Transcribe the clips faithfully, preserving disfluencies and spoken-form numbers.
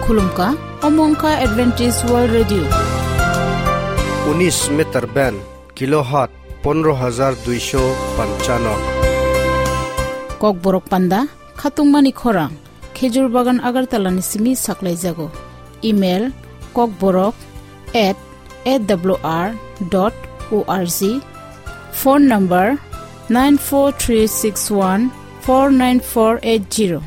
Khulumkha, omo wngkha Adventist World Radio. Unis meter band, kilohertz pondro hajar duisho panchano. Kokborok panda, khatungmani khorang, Khejur Bagan Agartala ni simi saklaijago. Email, kokborok at A W R dot O R G. Phone number, nine four three six one four nine four eight zero.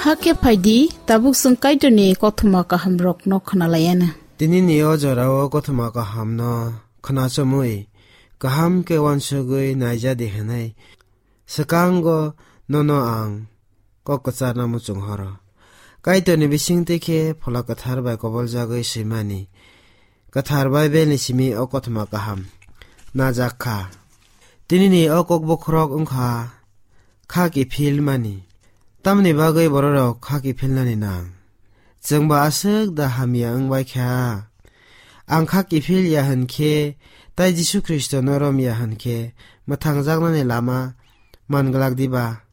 Hakhe phaidi, tabuk chwng Kaitorni kothoma kahamrokno khwnalaiana. Tinini o jorao kothoma kahamno khwnachomwi, kaham khe uansugwi naijadi hwnwi swkango nono ang kok kwcharno muchung horo. Kaitorni bisingtwi khe Phola Kwthar bai koboljagwi swimani Kwthar Baibelni simi o kothoma kaham najak kha. Tinini o kok bokhorok wngkha kha kiphilmani. Tamni bagwi bororok kha kiphilnani nang? Chwngba aswk da hamya wng bai kha? Ang kha kiphil ya hwn khe, tai Jisu Khristono rom ya hwn khe, mwthangjaknani lama man glak diba?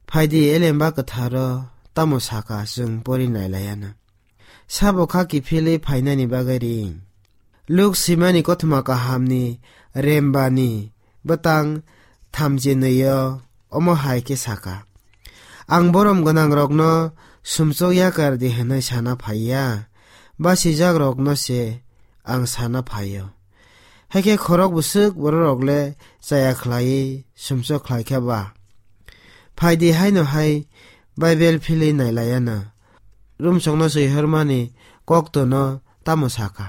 Phaidi, Elemba Kwtharo tamo saka, chwng pori nailaiana. Sabo kha kiphilwi phainani bagwi ring. Luk swimani kothoma kahamni rembani bwtang thamchinwi-o omo hai khe saka, "Ang borom gwnangrokno sumsok yakar di hwnwi sana phai ya, basijakrokno se ang sana phai-o. Hakhe khorok bwswk bororok le chaya khlaiwi sumsok khlai kha ba? Phai di haino hai Baibel philwi nailaiana, rumsokno swihormani koktono tamo saka?"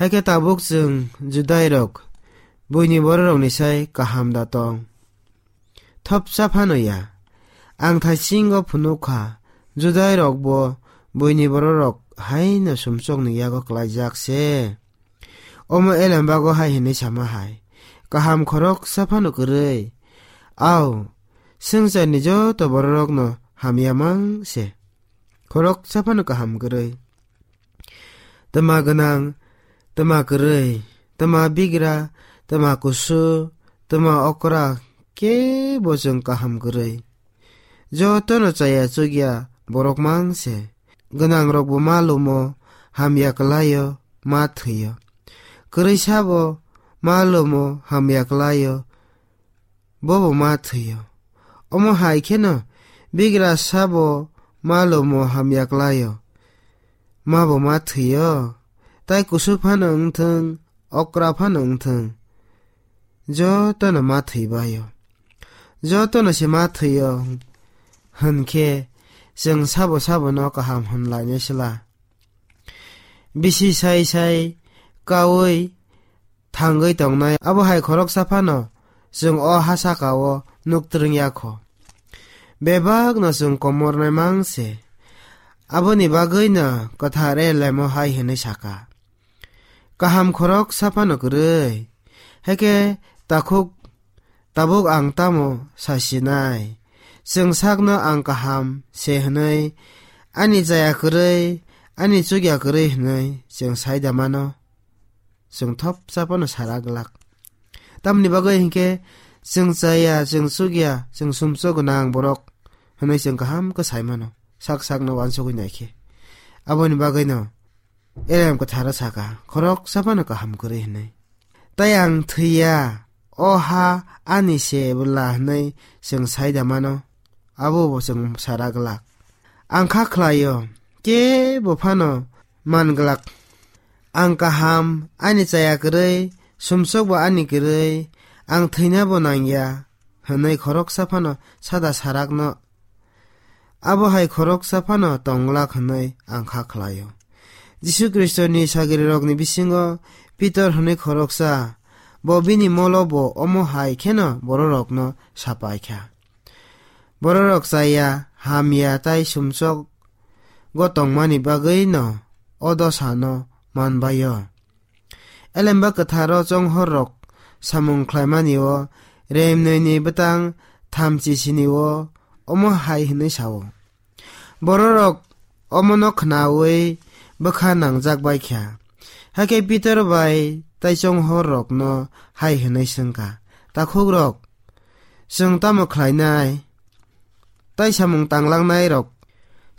Hakhe tabuk chwng Judairok buini bororokni sai kaham da tong? Thopsa phano ya. Ang thaisingo phunuk kha, Judairokbo buini bororok haino sumsokni yago klaijak se. Omo Elembago hai hwnwi sama hai, "Kaham khoroksa phano kwrwi. Au, swngcharni joto bororokno hamya mang se. Khoroksa phano kaham kwrwi. Twma gwnang, twma kwrwi, twma bigra, twma kusu, twma okra, kebo chwng kaham kwrwi. Jotono chaya chukya borok mang se. Gwnangrokbo ma lumo, hamya kwlaio, ma thwio. Kwrwi sabo ma lumo, hamya kwlaio, bobo ma thwio. Omo hai kheno bigra sabo ma lumo, hamya kwlaio, mabo ma thwio. Tai kusu phano wngthwng, okra phano wngthwng, jotono ma thwibaio. jotono se ma thwio hwn khe, chwng sabo sabono kaham hwn lainai sla. Bisi sai sai kaui thangwi tongnai, abo hai khoroksa phano chwng o ha saka-o nuk twrwng ya kho. Bebakno chwng komornai mang se. Aboni bagwino kwthar Elemo hai hwnwi saka, "Kaham khoroksa phano kwrwi, hakhe takhuk tabuk ang tamo sa sinai? Chwng sakno ang kaham se hwnwi, ani chaya kwrwi, ani chukya kwrwi hwnwi chwng sai da mano?" Chwng thopsa phano sara glak. Tamni bagwi hinkhe chwng chaya, chwng chukya, chwng sumsok gwnang borok hwnwi chwng kaham khe sai mano, sak sakno uansugwi nai khe. Aboni bagwino Elem kwtharo saka, "Khoroksa phano kaham kwrwi," hwnwi. Tai ang thwiya, o ha ani se bwla hwnwi chwng sai da mano, abo bo chwng sara glak. Ang kha khlaio, kebo phano man glak. Ang kaham, ani chaya kwrwi, sumsok bo ani kwrwi, ang thwina bo nangya, hwnwi khoroksa phano sada sarakno, abo hai khoroksa phano tong glak hwnwi ang kha khlaio. Jisu Khristoni sagrirokni bisingo Pitor hwnwi khoroksa, bo bini molo bo omo hai kheno bororokno sapai kha. Bororok chaya, hamya tai sumsok go tongmani bagwino o dosano man bai-o. Elemba kwtharo chonghorrok samung khlaimani-o, remnwini bwtang thamchi sini-o omo hai hwnwi sa-o, "Bororok omono khnaui bwkha nangjak bai kha." Hakhe Pitor bai tai chonghorrokno hai hwnwi swng kha, "Takhukrok, chwng tamo khlainai?" Tai samung tanglangnai rok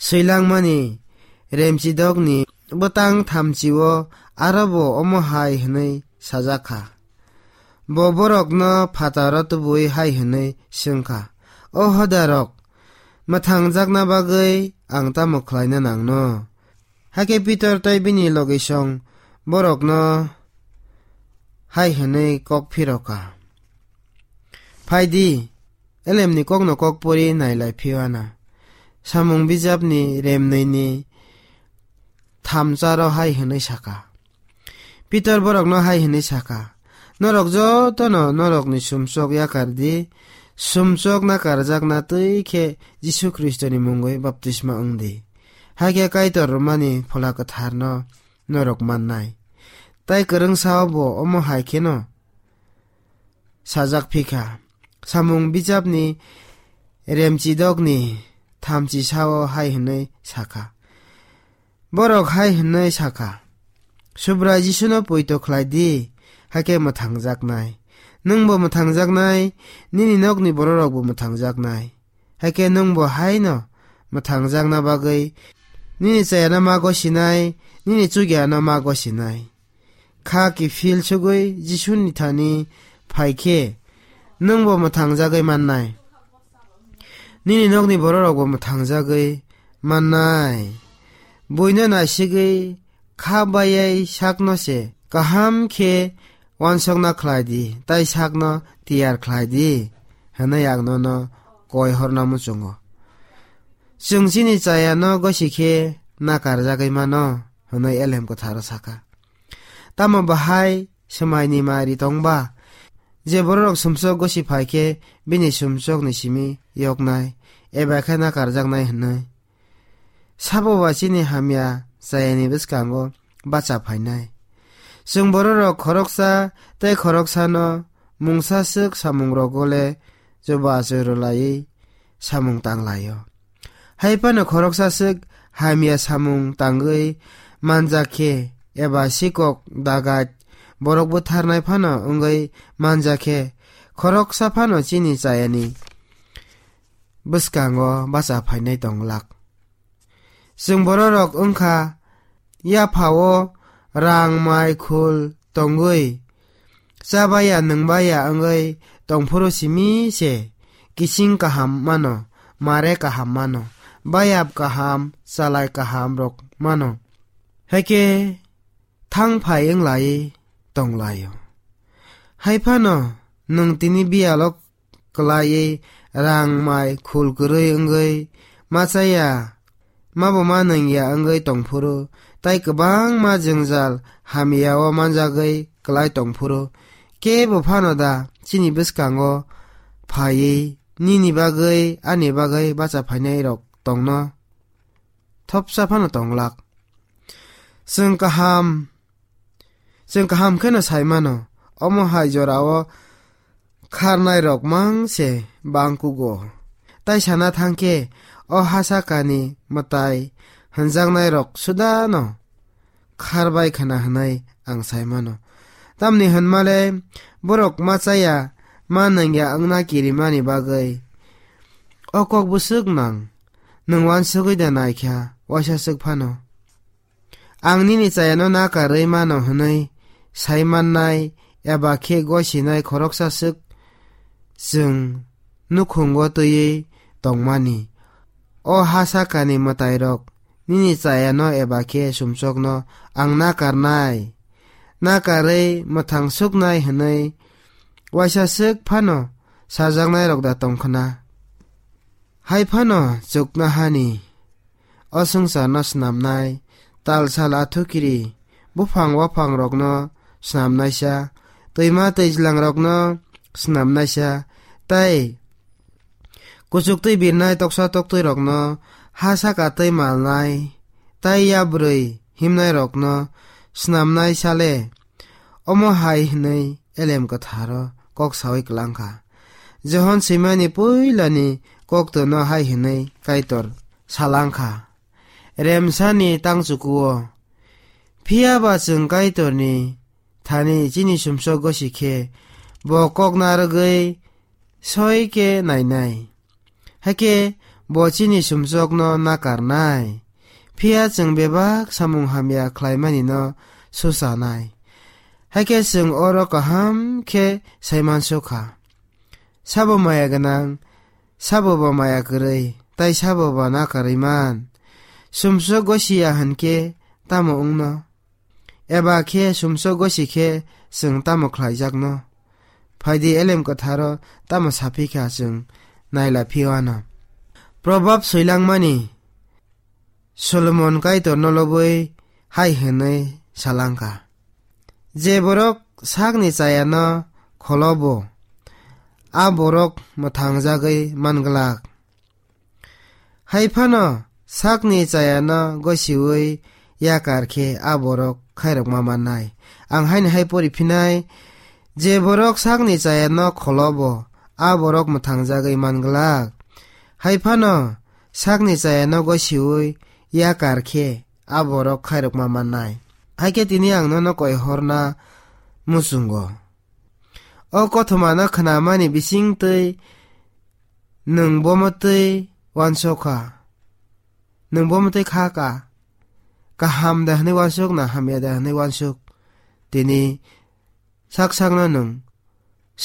swilangmani remchidokni bwtang thamchi-o aro bo omo hai hwnwi sajak kha. Bo borokno phataro tubui hai hwnwi swng kha, "O hoda rok, mwthangjakna bagwi ang tamo khlaina nangno?" Hakhe Pitor tei bini logisong borokno hai hwnwi kok phiro kha, "Phai di, elemni kokno kok pori nai lai phiyana." Samung bijapni remnwini thamcharo hai hwnwi saka. Pitor borokno hai hwnwi saka, "Norok jotono norokni sumsok yakar di, sumsok nakarjakna twi khe Jisu Khristoni mungwi baptisma wng di. Hakhe Kaitor rwmani Phola Kwtharno norok mannai." Tai kwrwngsa-o bo omo hai kheno sajak phi kha. Samung bijapni remchidokni thamchi sao hai hwnwi sakha. Borok hai hwnwi sakha, "Subrai Jisuno poito khlai di, hakhe mwthangjaknai. Nwngbo mwthangjaknai, nini nokni bororokbo mwthangjaknai. Hakhe nwngbo haino mwthangjakna bagwi nini chayano ma gosinai, nini chukyano ma gosinai." Kha kiphil sugwi Jisuni thani phai khe, nwngbo mwthangjagwi mannai. Nini nokni bororokbo mwthangjagwi mannai. Buino naisigwi kha bayai sakno se kaham khe uansukna khlai di, tai sakno tiyar khlai di, hwnwi ang nono koi horna muchungo. Chwng chini chayano gosi khe nakarjagwi mano, hwnwi Elem Kwtharo sakha. Tamo bahai swmaini mari tongba? Je bororok sumsok gosi phai khe, bini sumsokni simi yoknai, eba khe nakarjaknai hwnwi. Sabo ba chini hamya chayani bwskango bacha phainai. Chwng bororok khoroksa tei khoroksano mungsa swk samungrogo le chubachu rwlaiwi samung tanglaio. Hai phano khoroksa swk hamya samung tangwi manjak khe eba sikok dagat borok butharnai phano wngwi manjak khe, khoroksa phano chini chayani bwskango bacha phainai tong glak. Chwng bororok wngkha yaphao rang mai khul tongwi, chabaya nwngbaya wngwi tongphuru simi se kiching kaham mano, mare kaham mano, bayap kaham, chalai kaham rok mano. Haikhe thang phai wnglai tonglaio. Hai phano nwng tini biyalo kwlaiwi rang mai khul kwrwi wngwi ma chaya, mabo ma nungya wngwi tongphuru, tei kwbangma jwngjal hamya-o manjagwi kwlai tongphuru, kebo phano da chini bwskango phaiwi nini bagwi, ani bagwi bacha phainairok tongno? Thopsa phano tonglak. Chwng kaham, chwng kaham kheno sai mano, omo hai jorao kharnairok mang se bang kugo. Tai sana thang khe, o ha sakani mwtai hwnjaknairok sudano kharbai khna hwnwi ang sai mano. Tamni hwnmale borok ma chaya, ma nungya wngna kirimani bagwi o kok bwswk nang, nwng uansugwi da naikha, waisa swk phano. Ang nini chayano nakarwi mano hwnwi sai mannai eba khe gosinai khoroksa swk chwng nukhungo twiwi tongmani. O ha sakani mwtairok nini chayano eba khe sumsokno ang nakarnai, nakarwi mwthang suknai hwnwi waisa swk phano sajaknairok da tong khna? Hai phano chuknohani o swngcharno snamnai, tal sal athukiri, buphang waphangrokno snamnaisa, twima twijlangrokno snamnaisa, tei kuchuktwi birnai toksa toktwirokno ha saka twi malnai, tei yabrwi himnairokno snamnaisa le. Omo hai hwnwi Elem Kwtharo kok saui klang kha. Johon swimani puilani koktono hai hwnwi Kaitor salang kha, "Remsani tangchukuo." Phiya ba chwng Kaitorni thani chini sumsok gosi khe bo kok narwgwi soi khe nainai. Hakhe bo chini sumsokno nakarnai. Phiya chwng bebak samung hamya khlaimanino suchanai. Hakhe chwng oro kaham khe saimansukha. Sabo maya gwnang, sabo bo maya kwrwi, tai sabo bo nakarwi man. Sumsok gosiya hwnkhe tamo wngno? Eba khe sumsok gosi khe chwng tamo khlaijakno? Phaidi Elem Kwtharo tamo saphi kha chwng naila phiyo ano. Probab soilangmani Solomon Kaitorno lobwi hai hwnwi salangkha, "Je borok sakni chayano kholobo, a borok mwthangjagwi manglak." Hai phano sakni chayano gosiui yakar khe a borok khairokma mannai. Ang haino hai pori phinai, "Je borok sakni chayano kholobo, a borok mwthangjagwi manglak." Hai phano sakni chayano gosiui yakar khe a borok khairokma mannai. Hai khe tini ang nono koi horna muchungo. O kothomano khnamani bisingtwi nwng bomo twi uansukha? Nwng bomo twi kha ka? Kaham da hwnwi uansuk na hamya da hwnwi uansuk? Tini sak sakno nwng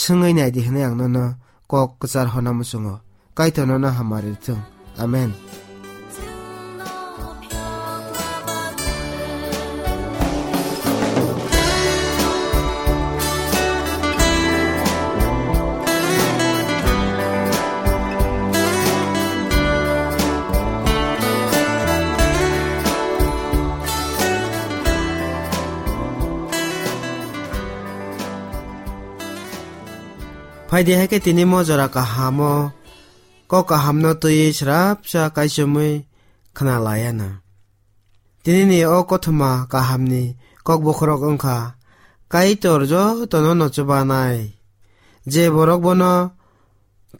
swngwi nai di hwnwi ang nono kok kwchar hona muchungo. Kaitor nono hamari rwthwng. Amen. Phaidi hai khe tini mo jora kahamo kok kahamno twiwi srapsa kaichomwi khna laiya na. Tinini o kothoma kahamni kok bokhorok wngkha, Kaitor jotono no chubanai. Je borok bono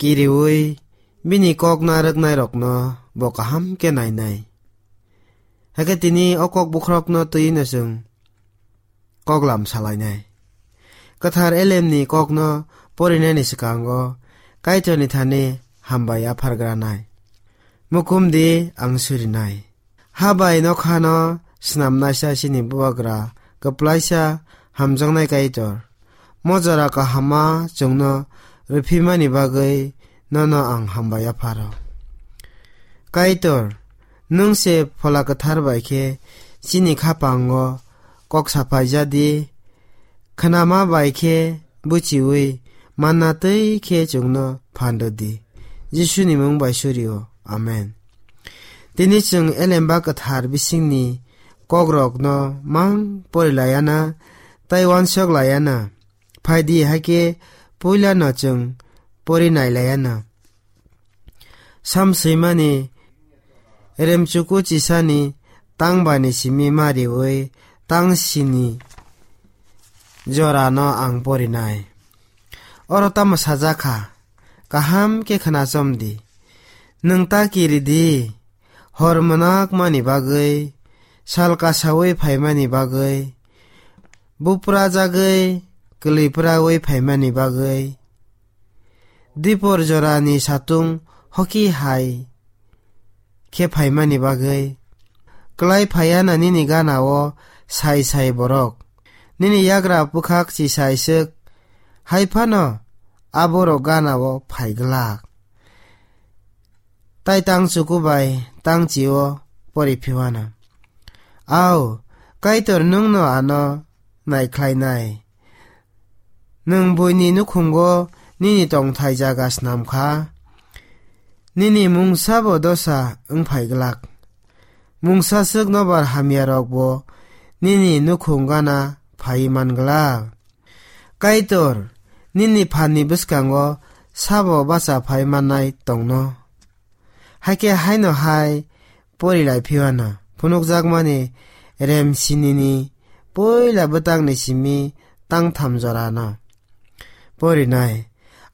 kiriui bini kok narwknairokno bo kaham khe nainai. Hakhe tini o kok bokhorokno twiwi no chwng koklam salainai. Kwthar Elemni kokno porinani swkango Kaitorni thani hambai yaphargranai. Mukumdi ang surinai. Ha bai nokhano snamnaisa chini bubagra kwplaisa hamjaknai Kaitor. Mo jora kahama chwngno rwphimani bagwi nono ang hambai yapharo. Kaitor, nwng se Phola Kwthar bai khe chini khapango kok saphaijadi, khnama bai khe buchiui manna twi khe chwngno phan rw di. Jisuni mung bai suri o. Amen. Tini chwng Elemba Kwthar bisingni kokrokno mang pori laiya na, tai uansuk laiya na. Phai di, hai khe puila no chwng pori nai laiya na. Sam swimani remchuku chisani tang bani simi ma riwi tang sini jorano ang porinai. Oro tamo sajak kha, kaham khe khna chom di. Nwng ta kiri di, hor mwnak mani bagwi, sal kasaui phaimani bagwi, bupra jagwi, kwlwi praui phaimani bagwi, dipor jorani satung hoki hai khe phaimani bagwi, klai phaiya na nini gana o sai sai borok, nini yagra bwkhak chisai swk, hai phano aborok gana o phai glak. Tai tang chuku bai tang chi o pori phiwana. Au, Kaitor nwng no ano nai khlai nai. Nwng buini nukhungo nini tongthai jaga snam kha. Nini mungsa bo dosa wng phai glak. Mungsa swk nobar hamya rok bo nini nukhung gana phai man glak. Kaitor, nini phan ni bwskango sabo bacha phai mannai tongno. Hakhe haino hai pori lai phiwana phunukjakmani rem sinini puila bwtangni simi tangtham jorano porinai.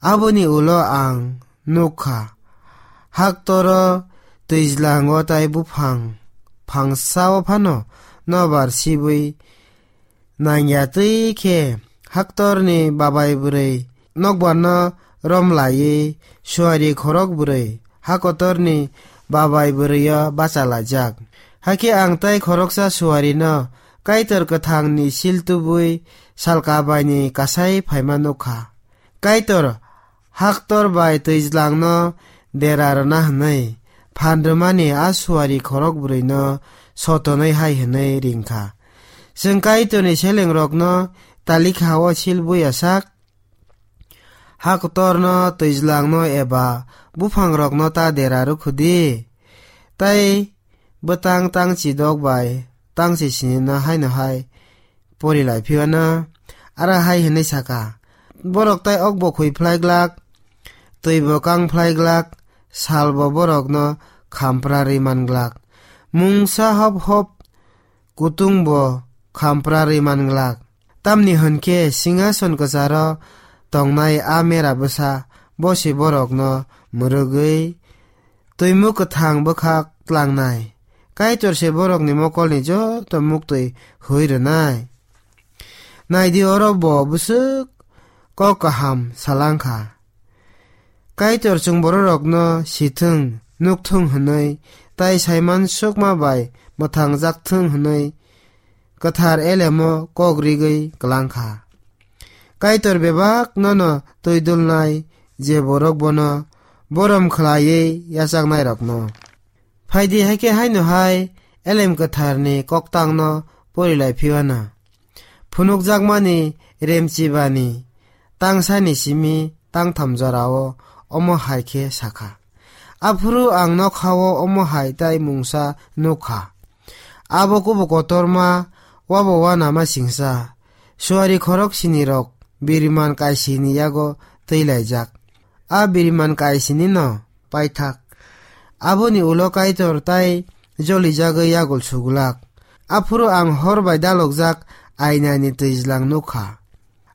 Aboni ulo ang nukha, haktoro twijlango tai buphang phangsao phano nobar sibwi nangya twi khe haktorni babai bwrwi nokbarno rom laiwi suari khorok bwrwi hakotorni babai bwrwio bacha laijak. Hakhe ang tai khoroksa suarino Kaitor kwthangni sil tubui salka baini kasai phaima nukha. Kaitor haktor bai twijlangno dera rwna hwnwi phan rwmani a suari khorok bwrwino sotonwi hai hwnwi ringkha, "Chwng Kaitorni selengrokno talikha-o sil buya sak, haktorno, twijlangno eba buphangrokno ta dera rwkhu di, tai bwtang tangchi dok bai tangchi sinino haino hai pori lai phiyano." Aro hai hwnwi saka, "Borok tai okbo khui phlai glak, twibo kang phlai glak, salbo borokno khampra rwi man glak, mungsa hop hop kutungbo khampra rwi man glak. Tamni hwn khe singhason kwcharo tongnai a mera bwsa bo se borokno mwrwgwi twimuk kwthang bwkhak tlangnai. Kaitor se borokni mokolni joto muktwi hui rwnai. Nai di, oro bo bwswk kok kaham salang kha. Kaitor chwng bororokno sithwng, nukthwng hwnwi, tai saiman sukma bai mwthangjak thwng hwnwi kwthar elemo kok rigwi klang kha. Kaitor bebak nono twi dulnai, je borok bono borom khlaiwi yachaknairokno." Phai di, hai khe haino hai Elem Kwtharni koktangno pori lai phiyano. Phunukjakmani remchibani tangsani simi tangtham jorao omo hai khe sakha, "Aphuru ang nokhao omo hai tai mungsa nukha. Abo kubu kotorma, wabo wanama singsa, suari khorok sinirok biriman kaisini yago twi laijak. A biriman kaisinino paithak. Aboni ulo Kaitor tai jolijagwi yagul sugulak. Aphuru ang hor bai dalokjak ainani twijlang nukha.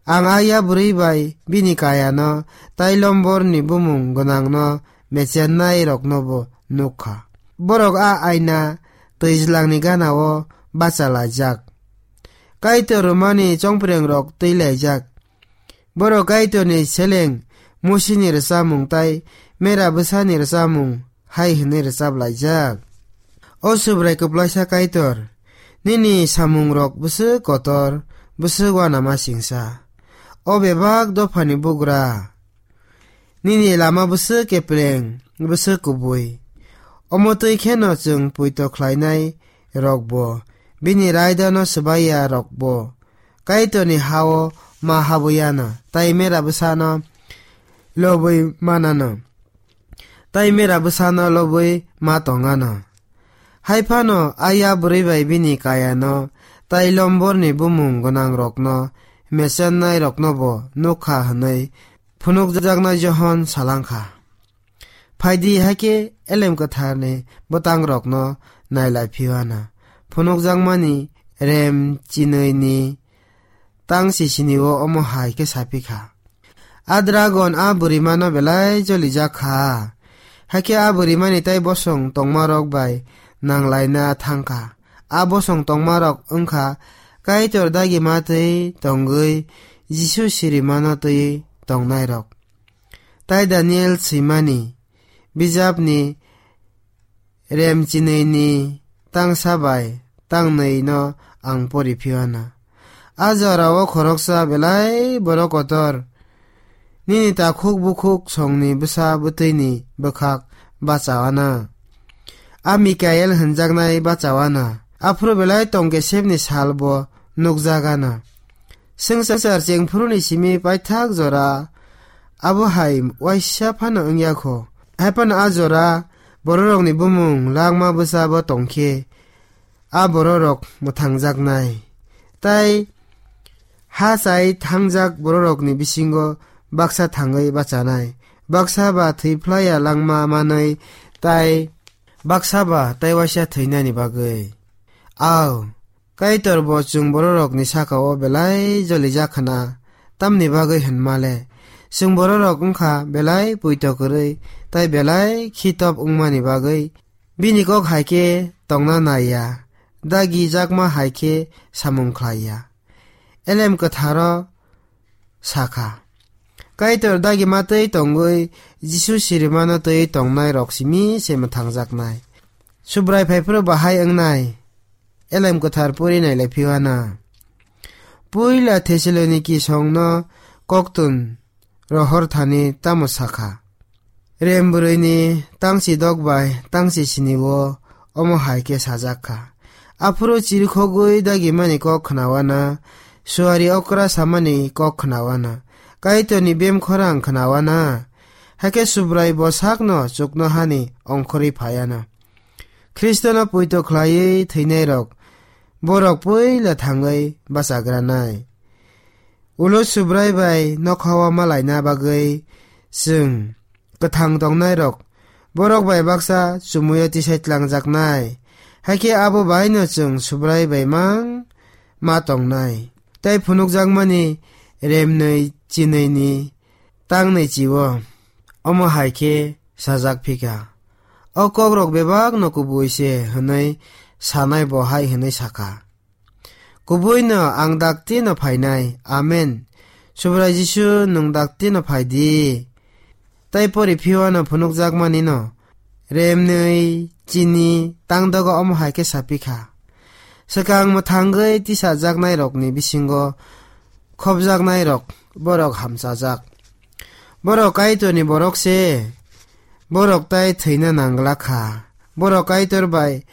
Ang a yabrwi bai bini kayano tai lomborni bumung gwnangno mechennairoknobo nukha. Borok a aina twijlangni ganao bacha laijak. Kaitor rwmani chongprengrok twi laijak. Borok Kaitorni seleng Musini rwchapmung tai mera bwsani rwchapmung hai hwnwi rwchap laijak: O Subrai kwplaisa Kaitor, nini samungrok bwswk kotor, bwswk uanama singsa. O bebak dophani bugra, nini lama bwswk kepleng, bwswk kubui. Omo twi kheno chwng poito khlainai rokbo, bini raidano swbaiya rokbo Kaitorni ha-o ma habwi anw, tai mera bwsano lobwi manano, tai mera bwsano lobwi ma tongano. Hai phano a ya bwrwi bai bini kayano tai lomborni bumung gwnangrokno mechennairoknobo nuk kha hwnwi phunukjaknai Johon salangkha. Phaidi, hakhe Elem Kwtharni bwtangrokno nailai phiyana. Phunukjakmani rem chinwini tang sisini-o omo hai khe sa phi kha. A dragon a bwrwimano belai jolijak kha. Hakhe a bwrwimani tai bosong tongmarok bai nanglaina thang kha. A bosong tongmarok wng kha Kaitor dagima twi tongwi Jisu sirimano twi tongnairok. Tai Daniel swimani bijapni rem chinwini tangsa bai tangnwino ang pori phiyana. A jorao khoroksa belai borok kotor nini takhuk bukhuk songni bwsa bwtwini bwkhak bachawana. A Mikael hwnjaknai bachawana. Aphuru belai tongkesepni salbo nukjagana. Swngchar chengphuruni simi paithak jora abo hai waisa phano wngya kho. Hai phano a jora bororokni bumung langma bwsabo tongkhe a bororok mwthangjaknai. Tai ha chai thangjak bororokni bisingo baksa thangwi bachanai, baksa ba thwi phlaiya langma manwi, tai baksa ba tai waisa thwinani bagwi. Ao, Kaitor bo chwng bororokni saka-o belai jolijak khna, tamni bagwi hwnma le, chwng bororok wngkha belai poito kwrwi tai belai khitop wngmani bagwi. Bini kok hai khe tongna nai ya, dagi jakma hai khe samung khlai ya. Elem Kwtharo sa kha, Kaitor dagima twi tongwi Jisu sirimano twi tongnairok simi se mwthangjaknai. Subrai phaiphuru bahai wngnai. Elem Kwthar pori nailai phiwana. Puila Thessaloniki songno koktun rohor thani tamo sakha. Rem bwrwini tangchi dok bai tangchi sini-o omo hai khe sajak kha. Aphuru chirikhogwi dagimani kok khnawana, suari okra samani kok khnawana, Kaitorni bem khorang khnawana, hakhe Subrai bo sakno chuknohani ongkhorwi phaiana. Khristono poito khlaiwi thwinairok, borok puila thangwi bachagranai. Ulo Subrai bai nokhao malaina bagwi chwng kwthang tongnairok, borok bai baksa chumuyo tisai tlangjaknai. Hakhe abo baino chwng Subrai bai mang ma tongnai. Tai phunukjakmani remnwi chinwini tangnwi chi-o. Omo hai khe sajak phikha. O kokrok bebakno kubui se hwnwi sanai bo hai hwnwi sakha. Kubuino ang daktino phainai. Amen. Subrai Jisu, nwng daktino phai di. Tai pori phiwano phunukjakmanino remnwi chini tangdogo omo hai khe sapikha. Swkang mwthangwi tisajaknairokni bisingo khopjaknairok borok hamchajak. Borok Kaitorni borok se, borok tai thwina nangla kha. Borok Kaitor bai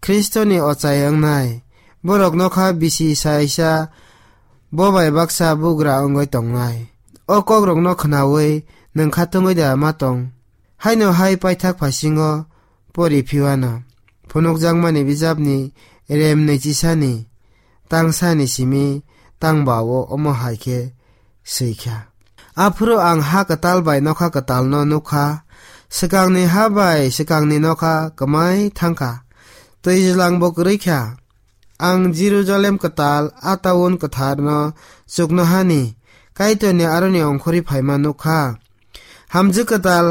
Khristoni ochai wngnai. Borok nokha bisi saisa bo bai baksa bugra wngwi tongnai. O kokrokno khnaui nwng khatungwi da ma tong? Haino hai paithak phasingo pori phiwano phunukjakmani bijapni remnwi chisani tangsani simi tangbao omo hai khe swi kha. Aphuru ang ha kwtal bai nokha kwtalno nuk kha. Swkangni ha bai swkangni nokha kwmai thang kha. Twijlangbo kwrwi kha. Ang Jerusalem kwtal, a taun kwtharno chuknohani Kaitorni aroni ongkhorwi phaima nuk kha. Hamjwk kwtal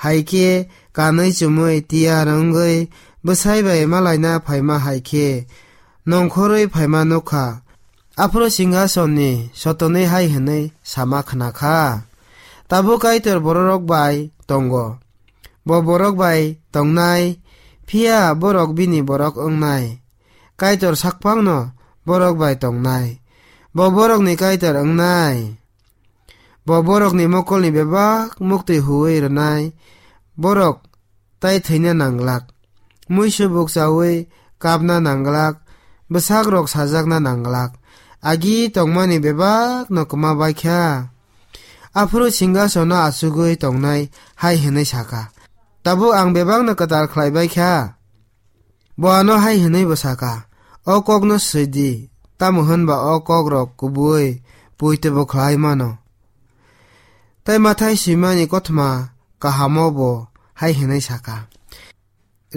hai khe kanwi chumui tiyar wngwi bwsai bai malaina phaima hai khe nongkhorwi phaima nuk kha. Aphuru singhasonni sotonwi hai hwnwi sama khna kha, "Tabuk Kaitor bororok bai tongo. Bo borok bai tongnai, phiya borok bini borok wngnai. Kaitor sakphangno borok bai tongnai. Bo borokni Kaitor wngnai." Bo borokni mokolni bebak muktwi huwi rwnai, borok tai thwina nanglak, muisu bukchaui kapna nanglak, bwsakrok sajakna nanglak, agi tongmani bebakno kwma bai kha. Aphuru singhasono achugwi tongnai hai hwnwi sakha, "Tabuk ang bebakno kwtal khlai bai kha." Bo ano hai hwnwi bo sakha, "O kokno swi di, tamo hwnba o kokrok kubui poito bo khlai mano." Tai Mathai swimani kothoma kahamo bo hai hwnwi sakha.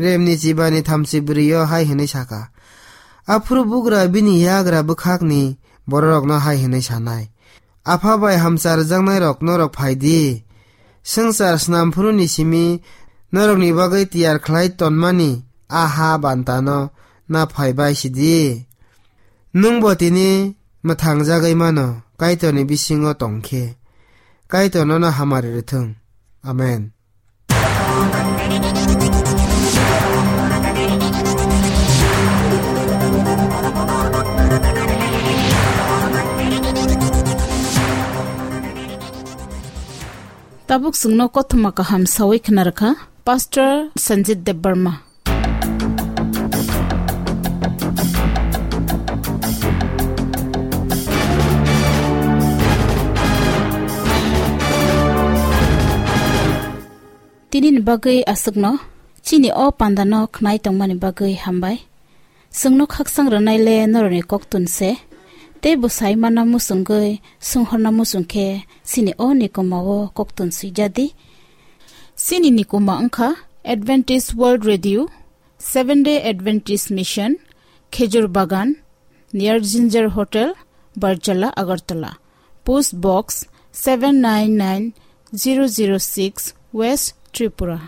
Remni chibani thamchi bwrwi-o hai hwnwi sakha. Aphuru bugra bini yagra bwkhakni bororokno hai hwnwi sanai, "Apha bai hamchar rwjaknairok norok phai di. Swngchar snamphuruni simi norokni bagwi tiyar khlai tonmani a ha bantano na phai bai si di. Nwng bo tini mwthang jagwi mano, Kaitorni bisingo tong khe. Kaitor nono hamari rwthwng. Amen." Tabuk chwngno kothoma kaham sawi khna rwkha Pastor Sanjit Debbarma. Tini ni bagwi aswkno, chini o pandano khnai tongmani bagwi hambai. Chwngno khaksang rwnai le norokni koktun se, tei bwsai manna muchungwi swnghorna muchung khe chini o nikoma o koktun swijadi. Chini nikoma wngkha Adventist World Radio, Seventh Day Adventist Mission, Khejur Bagan, near Ginger Hotel, Barjala, Agartala. Post Box seven nine nine zero zero six, West Tripura.